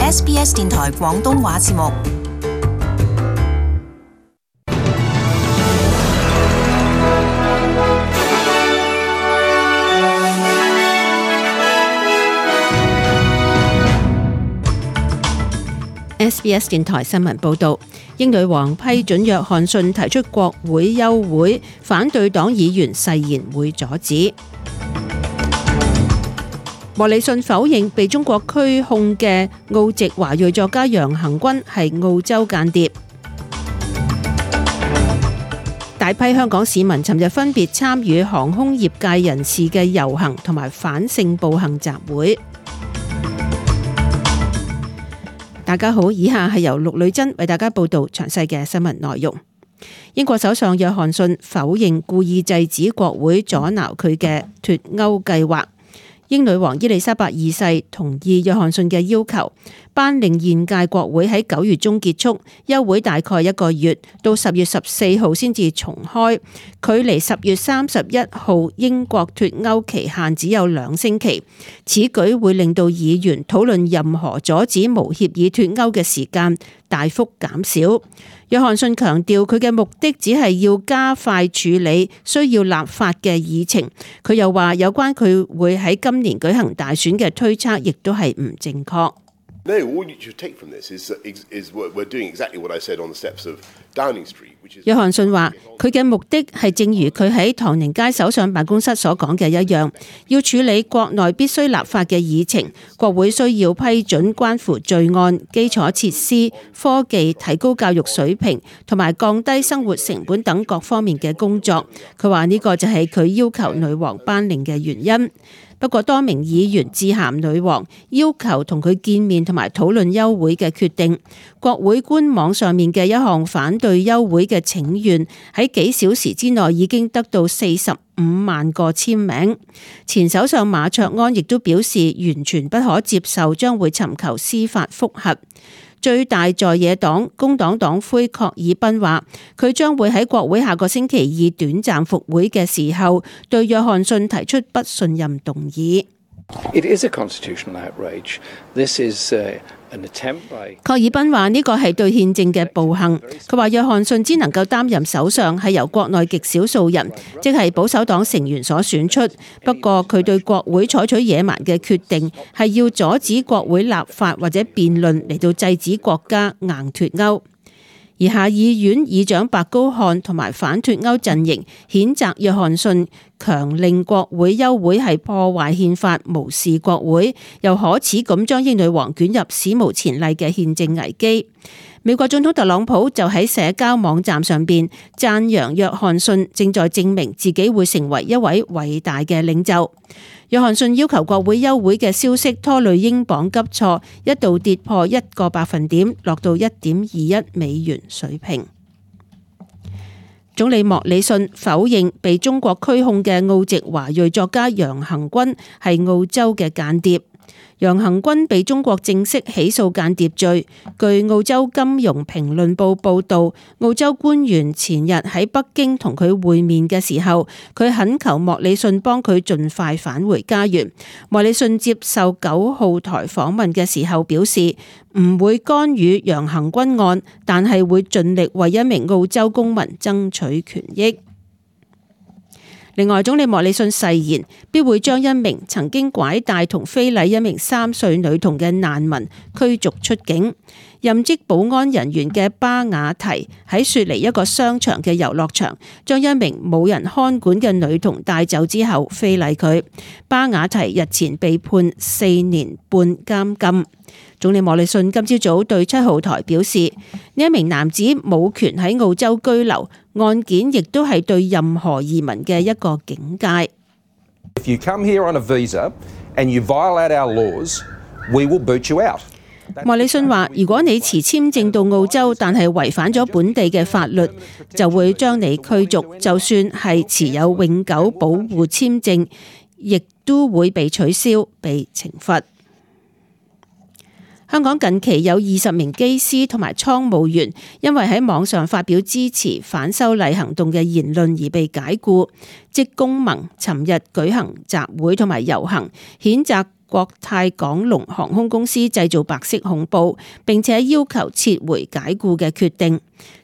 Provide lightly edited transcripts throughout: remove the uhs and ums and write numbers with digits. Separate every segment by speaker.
Speaker 1: SBS 電台廣東話節目。
Speaker 2: SBS 電台新聞報導，英女王批准約翰遜提出國會休會，反對黨議員誓言會阻止。莫里遜否認被中國拘控嘅澳籍華裔作家楊恆均係澳洲間諜。大批香港市民尋日分別參與航空業界人士嘅遊行同埋反性暴行集會。大家好，以下係由陸女珍為大家報道詳細嘅新聞內容。英國首相約翰遜否認故意制止國會阻撓佢嘅脫歐計劃。英女王伊麗莎白二世同意約翰遜嘅要求，頒令現屆國會喺9月中結束，休會大概1個月，到10月14號先至重開，距離10月31號英國脫歐期限只有2星期。此舉會令到議員討論任何阻止無協議脫歐嘅時間大幅減少。約翰遜強調佢嘅目的只係要加快處理需要立法嘅議程。佢又話有關佢會喺今年舉行大選嘅推測亦都係唔正確。
Speaker 3: No, all you should take from this is we're doing exactly what I said on the steps of Downing Street, which is.
Speaker 2: 約翰遜話佢嘅目的係正如佢喺唐寧街首相辦公室所講嘅一樣，要處理國內必須立法嘅議程，國會需要批准關乎罪案、基礎設施、科技、提高教育水平同埋降低生活成本等各方面嘅工作。佢話呢個就係佢要求女王頒令嘅原因。不過多名議員致函女王，要求同佢見面同埋討論休會嘅決定。國會官網上面嘅一項反對休會嘅請願，喺幾小時之內已經得到45萬個簽名。前首相馬卓安亦都表示完全不可接受，將會尋求司法覆核。最大在野黨工黨黨魁郝爾彬話，佢將會喺國會下個星期二短暫復會嘅時候，對約翰遜提出不信任動議。
Speaker 4: It is a constitutional outrage. This is an attempt by.
Speaker 2: 郝爾彬話呢個係對憲政嘅暴行。佢話約翰遜只能夠擔任首相係由國內極少數人，即係保守黨成員所選出。不過佢對國會採取野蠻嘅決定，係要阻止國會立法或者辯論嚟到制止國家硬脫歐。而下議院議長白高漢同埋反脫歐陣營譴責約翰遜強令國會休會係破壞憲法、無視國會，又可恥咁將英女王捲入史無前例嘅憲政危機。美國總統特朗普就喺社交網站上邊讚揚約翰遜正在證明自己會成為一位偉大嘅領袖。約翰遜要求國會休會嘅消息拖累英鎊急挫，一度跌破1個百分點，落到1.21美元水平。總理莫里遜否認被中國拘控嘅澳籍華裔作家楊恆均係澳洲嘅間諜。楊恆均被中國正式起訴間諜罪。據澳洲金融評論報報道，澳洲官員前日喺北京同佢會面嘅時候，佢懇求莫里遜幫佢盡快返回家園。莫里遜接受9號台訪問嘅時候表示，唔會干預楊恆均案，但係會盡力為一名澳洲公民爭取權益。另外，總理莫里遜誓言必會將一名曾經拐帶同非禮一名3歲女童嘅難民驅逐出境。任職保安人員嘅巴雅提喺雪梨一個商場嘅遊樂場，將一名冇人看管嘅女童帶走之後非禮佢。巴雅提日前被判4年半監禁。總理莫里遜今朝早對7號台表示，呢一名男子冇權喺澳洲居留，案件亦都係對任何移民嘅一個警戒。
Speaker 5: If you come here on a visa and you violate our laws, we will boot you out.
Speaker 2: 莫里遜話：如果你持簽證到澳洲，但係違反咗本地嘅法律，就會將你驅逐，就算係持有永久保護簽證，亦都會被取消、被懲罰。香港近期有20名機師同埋倉務員因為喺網上發表支持反修例行動嘅言論而被解僱。職工盟尋日舉行集會同埋遊行，譴責國泰港龍航空公司製造白色恐怖，並且要求撤回解僱嘅決定。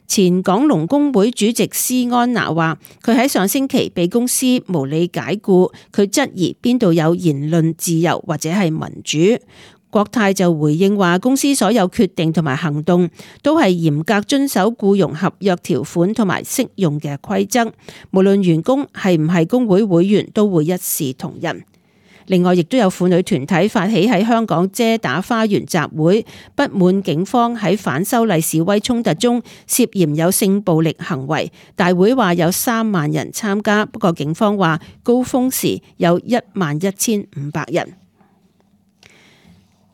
Speaker 2: 前港龍工會主席施安娜話：佢喺上星期被公司無理解僱，佢質疑邊度有言論自由或者係民主。國泰就回應話，公司所有決定同埋行動都係嚴格遵守僱傭合約條款同埋適用嘅規則，無論員工係唔係工會會員都會一視同仁。另外，亦都有婦女團體發起喺香港遮打花園集會，不滿警方喺反修例示威衝突中涉嫌有性暴力行為。大會話有3萬人參加，不過警方話高峰時有11,500人。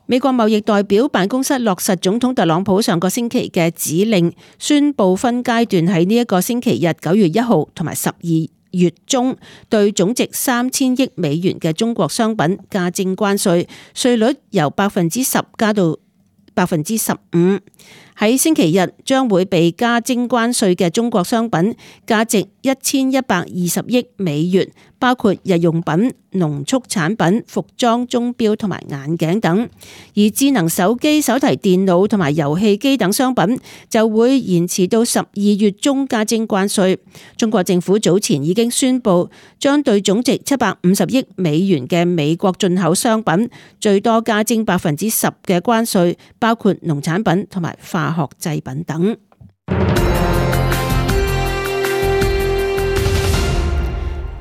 Speaker 2: 美國貿易代表辦公室落實總統特朗普上個星期嘅指令，宣布分階段喺呢一個星期日9月1號同埋12月中對總值3000億美元嘅中國商品加徵關稅，稅率由10%加到15%。喺星期日將會被加徵關稅嘅中國商品價值1120億美元，包括日用品、農畜產品、服裝、鐘錶同埋眼鏡等。而智能手機、手提電腦同埋遊戲機等商品就會延遲到12月中加徵關稅。中國政府早前已經宣布將對總值750億美元嘅美國進口商品最多加徵10%嘅關稅，包括農產品同埋化學製品等。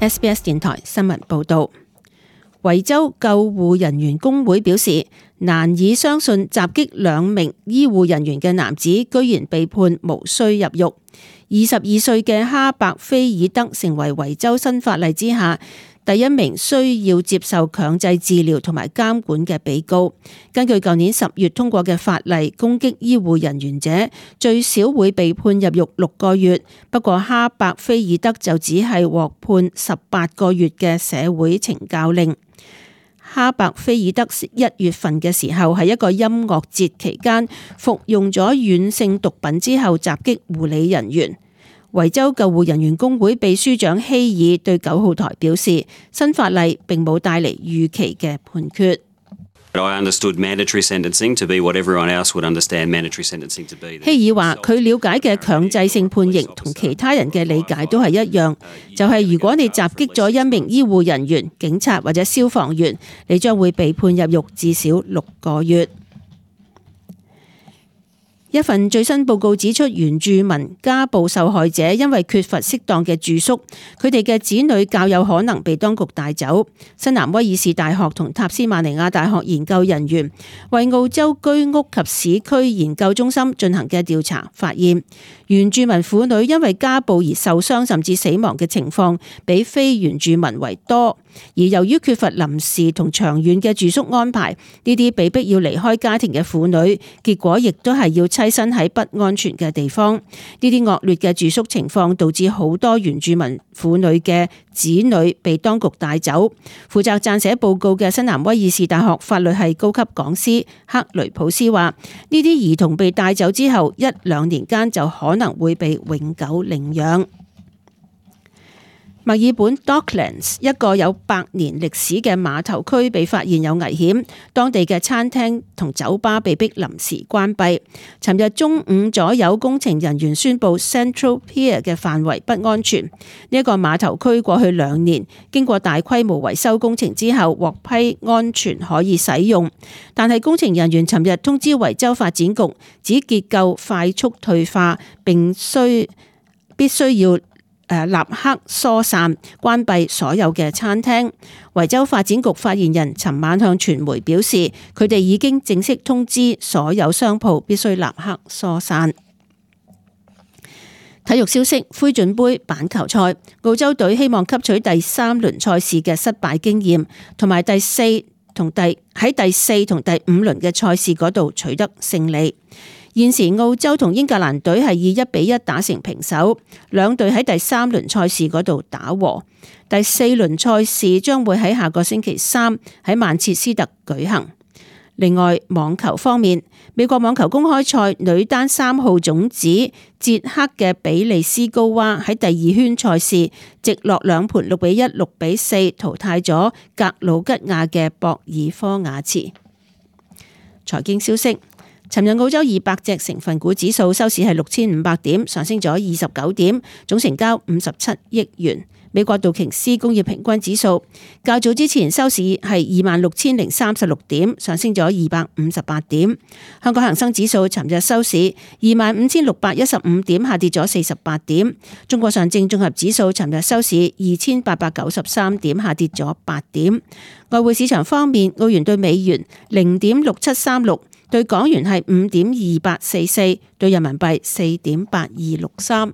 Speaker 2: SBS 電台新聞報道，維州救護人員工會表示，難以相信襲擊2名醫護人員嘅男子居然被判無需入獄。22歲嘅哈伯菲爾德成為維州新法例之下第一名需要接受強制治療同埋監管嘅被告。根據舊年10月通過嘅法例，攻擊醫護人員者最少會被判入獄6個月。不過哈伯菲爾德就只係獲判18個月嘅社會懲教令。哈伯菲爾德1月份嘅時候喺一個音樂節期間服用咗軟性毒品之後襲擊護理人員。維州救護人員工會秘書長希爾對9號台表示，新法例並冇帶嚟預期嘅判決。希爾話：佢了解嘅強制性判刑同其他人嘅理解都係一樣，就係如果你襲擊咗一名醫護人員、警察或者消防員，你將會被判入獄至少6個月。一份最新報告指出，原住民家暴受害者因為缺乏適當嘅住宿，佢哋嘅子女較有可能被當局帶走。新南威爾士大學同塔斯馬尼亞大學研究人員為澳洲居屋及市區研究中心進行嘅調查發現，原住民婦女因為家暴而受傷甚至死亡嘅情況比非原住民為多。而由於缺乏臨時同長遠嘅住宿安排，呢啲被逼要離開家庭嘅婦女，結果亦都係要棲身喺不安全嘅地方。呢啲惡劣嘅住宿情況導致好多原住民婦女嘅子女被當局帶走。負責撰寫報告嘅新南威爾士大學法律系高級講師克雷普斯話：呢啲兒童被帶走之後1-2年間就可能會被永久領養。墨爾本 Docklands 一個有100年歷史嘅碼頭區被發現有危險，當地嘅餐廳同酒吧被迫臨時關閉。尋日中午左右，工程人員宣布 Central Pier 嘅範圍不安全。呢一個碼頭區過去2年經過大規模維修工程之後獲批安全可以使用，但係工程人員尋日通知維州發展局，指結構快速退化，並必須要立刻疏散關閉所有嘅餐廳。維州發展局發言人尋晚向傳媒表示，佢哋已經正式通知所有商鋪必須立刻疏散。體育消息：灰準盃板球賽，澳洲隊希望吸取第3輪賽事嘅失敗經驗，同埋喺第4同第5輪嘅賽事嗰度取得勝利。現時澳洲同英格蘭隊係以1-1打成平手，兩隊喺第3輪賽事嗰度打和。第4輪賽事將會喺下個星期3喺曼徹斯特舉行。另外，網球方面，美國網球公開賽女單3號種子捷克嘅比利斯高娃喺第2圈賽事直落2盤6-1、6-4淘汰咗格魯吉亞嘅博爾科瓦茨。財經消息，尋日澳洲200隻成分股指數收市係6500點，上升咗29點，總成交57億元。美國道瓊斯工業平均指數較早之前收市係26,036點，上升咗258點。香港恒生指數尋日收市25,615點，下跌咗48點。中國上證綜合指數尋日收市2,893點，下跌咗8點。外匯市場方面，澳元對美元0.6736，對港元係5.2844，對人民幣4.8263。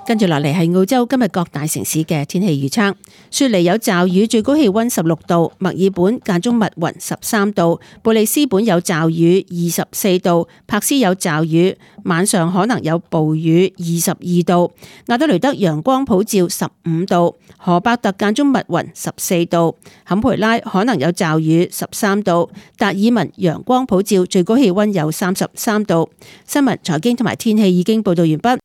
Speaker 2: 跟住落嚟係澳洲今日各大城市嘅天氣預測。雪梨有驟雨，最高氣溫16度；墨爾本間中密雲13度；布里斯本有驟雨24度；柏斯有驟雨，晚上可能有暴雨22度；亞德雷德陽光普照15度；荷伯特間中密雲14度；坎培拉可能有驟雨13度；達爾文陽光普照，最高氣溫有33度。新聞、財經同埋天氣已經報道完畢。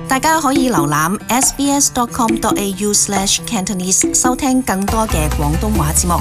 Speaker 1: 大家可以瀏覽 sbs.com.au/cantonese 收聽更多嘅廣東話節目。